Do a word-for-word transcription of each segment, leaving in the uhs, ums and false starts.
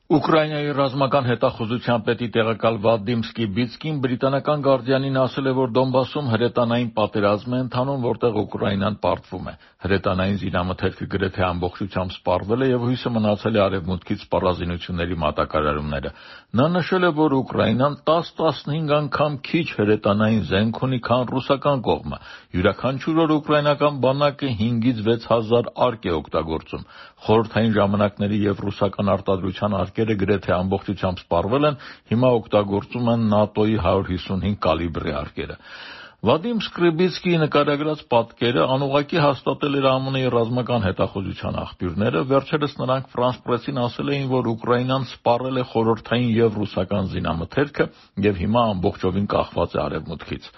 Ուկրաինայի ռազմական հետախուզության պետի տեղակալ Վադիմ Սկիբիցկին բրիտանական Գարդիանին ասել է, որ Դոնբասում հրետանային պատերազմ է ընթանում, որտեղ Ուկրաինան պարտվում է։ Հրետանային զինամթերքը գրեթե ամբողջությամբ սպառվել է եւ հույսը մնացել է արևմուտքից սպառազինությունների մատակարարումները։ Նա նշել է, որ Ուկրաինան տաս-տասնհինգ անգամ քիչ հրետանային զենք ունի, քան ռուսական կողմը։ Յուրաքանչյուր օր ուկրաինական բանակը հինգից վեց հազար արկ է օգտագործում։ Խորհրդային ժամանակների եւ ռուսական արտադրության արկերը գրեթե ամբողջությամբ սպառվել են, հիմա օգտագործում են ՆԱՏՕ-ի հարյուր հիսունհինգ կալիբրի արկերը։ Վադիմ Սկրիբիցկիի նկարագրած պատկերը անուղղակի հաստատել էր ԱՄՆ-ի ռազմական հետախուզության աղբյուրները։ Վերջերս նրանք Ֆրանս Պրեսին ասել էին, որ Ուկրաինան սպառել է խորհրդային եւ ռուսական զինամթերքը եւ հիմա ամբողջովին կախված է արևմուտքից։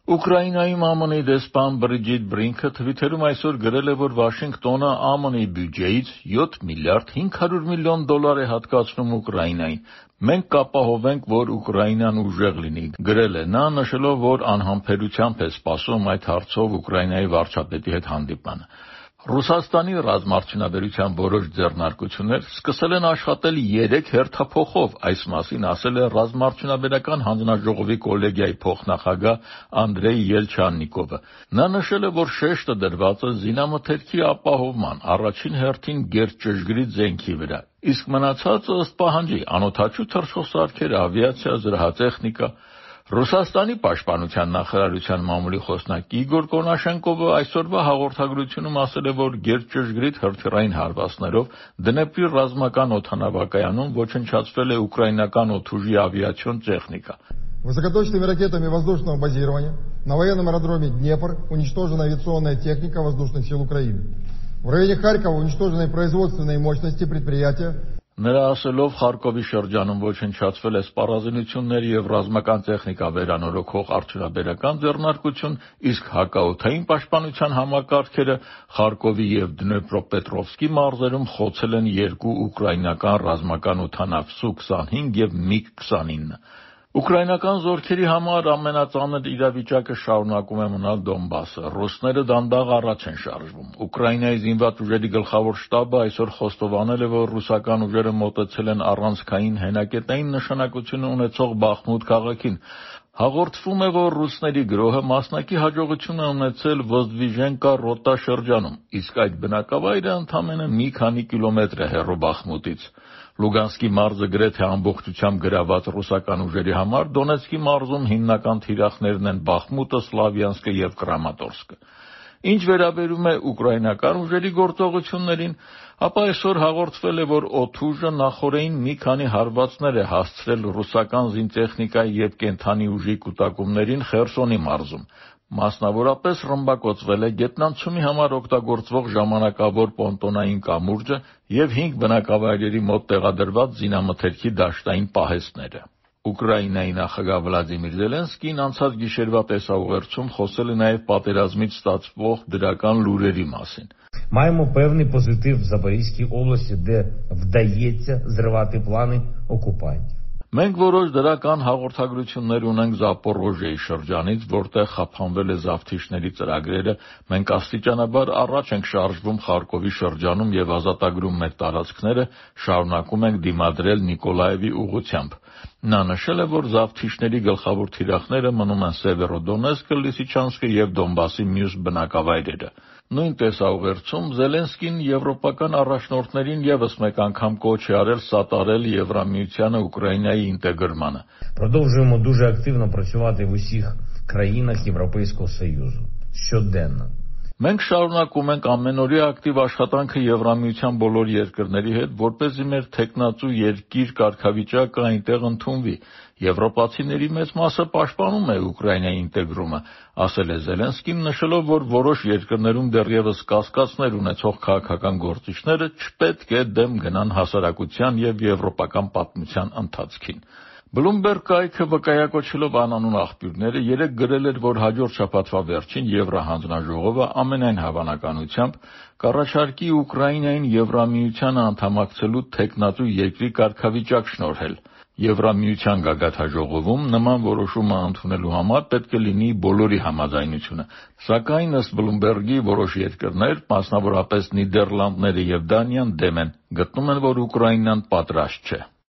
Ուկրաինայում ԱՄՆ-ի դեսպան Բրիջիտ Բրինքը թվիթերում այսօր գրել է, որ Վաշինգտոնը ԱՄՆ-ի բյուջեից յոթ միլիարդ հինգ հարյուր միլիոն դոլար է հատկացնում Ուկրաինային։ Մենք կապահովենք, որ Ուկրաինան ուժեղ լինի, գրել է նա, նշելով, որ անհամբերությամբ է սպասում այդ հարցով Ուկրաինայի վարչապետի հետ հանդիպմանը։ Ռուսաստանի ռազմաարդյունաբերության որոշ ձեռնարկություններ սկսել են աշխատել երեք հերթափոխով, այս մասին ասել է Ռազմաարդյունաբերական հանձնաժողովի կոլեգիայի փոխնախագահ Անդրեյ Ելչաննիկովը։ Նա նշել է, որ շեշտը դրված է զինամթերքի ապահովման, առաջին հերթին գերճշգրիտ զենքի վրա, իսկ մնացածը ըստ պահանջի՝ անօդաչու թռչող ավիացիա, զրահատեխնիկա։ Ռուսաստանի պաշտպանության նախարարության մամուլի խոսնակ Իգոր Կոնաշենկովը այսօրվա հաղորդագրությունում ասել է, որ գերճշգրիտ հրթիռային հարվածներով Դնեպրի ռազմական օդանավակայանում ոչնչացվել է ուկրաինական օդուժի ավիացիոն տեխնիկա։ Высокоточными ракетами воздушного базирования на военном аэродроме Днепр уничтожена авиационная техника воздушных сил Украины. В районе Харькова уничтожены производственные мощности предприятия. Նրա ասելով Խարկովի շրջանում ոչնչացվել է սպառազինությունների եւ ռազմական տեխնիկա վերանորոգող արդյունաբերական ձեռնարկություն, իսկ հակաօդային պաշտպանության համակարգերը Խարկովի եւ Դնեպրոպետրովսկի մարզերում խոցել են երկու ուկրաինական ռազմական օդանավ Սու քսանհինգ եւ միգ քսանինը։ Ուկրաինական զորքերի համար ամենածանր իրավիճակը շարունակում է մնալ Դոնբասը։ Ռուսները դանդաղ առաջ են շարժվում։ Ուկրաինայի զինված ուժերի գլխավոր շտաբը այսօր խոստովանել է, որ ռուսական ուժերը մոտեցել են առանցքային հենակետային նշանակություն ունեցող Բախմուտ քաղաքին։ Հաղորդվում է, որ ռուսների գրոհը մասնակի հաջողություն է ունեցել Ոզդվիժենկա ռոտա շրջանում, իսկ այդ բնակավայրը ընդամենը մի քանի կիլոմետր է հեռու Բախմուտից։ Լուգանսկի մարզը գրեթե ամբողջությամբ գրաված ռուսական ուժերի համար Դոնեցկի մարզում հիմնական թիրախներն են Բախմուտը, Սլավյանսկը եւ Կրամատորսկը։ Ինչ վերաբերում է ուկրաինական ուժերի գործողություններին, ապա այսօր հաղորդվել է, որ օդուժը նախօրեին մի քանի հարվածներ է հասցրել ռուսական զինտեխնիկայի եւ կենթանի ուժի կուտակումներին Խերսոնի մարզում։ Մասնավորապես ռմբակոծվել է գետնանցումի համար օգտագործվող ժամանակավոր պոնտոնային կամուրջը եւ հինգ բնակավայրերի մոտ տեղադրված զինամթերքի դաշտային պահեստները։ Ուկրաինայի նախագահ Վլադիմիր Զելենսկին անցած գիշերվա տեսաուղերձում խոսել է նաեւ պատերազմից ստացվող դրական լուրերի մասին։ Маємо певний позитив в Запорізькій області, де вдається зривати плани окупантів. Մենք որոշ դրական հաղորդագրություններ ունենք Զապորոժիայի շրջանից, որտեղ խափանվել է զավթիչների ծրագրերը, մենք աստիճանաբար առաջ ենք շարժվում Խարկովի շրջանում եւ ազատագրում մեր տարածքները, շարունակում ենք դիմադրել Նիկոլաևի ուղղությամբ։ Նա նշել է, որ զավթիչների գլխավոր թիրախները մնում են Սևերոդոնեցկը, Լիսիչանսկը եւ Դոնբասի մյուս բնակավայրերը։ Նույն տեսաուղերձում Զելենսկին եվրոպական առաջնորդներին եւս մեկ անգամ կոչ է արել սատարել Եվրամիությանը Ուկրաինայի ինտեգրմանը։ Продовжуємо дуже активно працювати в усіх країнах Європейського Союзу щоденно. Մենք շարունակում ենք ամենօրյա ակտիվ աշխատանքը Եվրամիության բոլոր երկրների հետ, որպեսզի մեր թեկնածու երկիր կարգավիճակը այնտեղ ընդունվի։ Եվրոպացիների մեծ մասը պաշտպանում է Ուկրաինայի ինտեգրումը, ասել է Զելենսկին, նշելով, որ որոշ երկրներում դեռևս կասկածներ ունեցող քաղաքական գործիչները չպետք է դեմ գնան հասարակության եւ եվրոպական պատմության ընթացքին։ Բլումբերգ կայքը վկայակոչելով անանուն աղբյուրները երեկ գրել էր, որ հաջորդ շաբաթվա վերջին Եվրահանձնաժողովը ամենայն հավանականությամբ կառաջարկի Ուկրաինային Եվրամիությանը անդամակցելու թեկնածու երկրի կարգավիճակ շնորհել։ Եվրամիության գագաթնաժողովում նման որոշումը ընդունելու համար պետք է լինի բոլորի համաձայնությունը, սակայն ըստ Բլումբերգի որոշ երկրներ, մասնավորապես Նիդերլանդները եւ Դանիան դեմ են, գտնում են, որ Ուկրաինան պատրաստ չէ։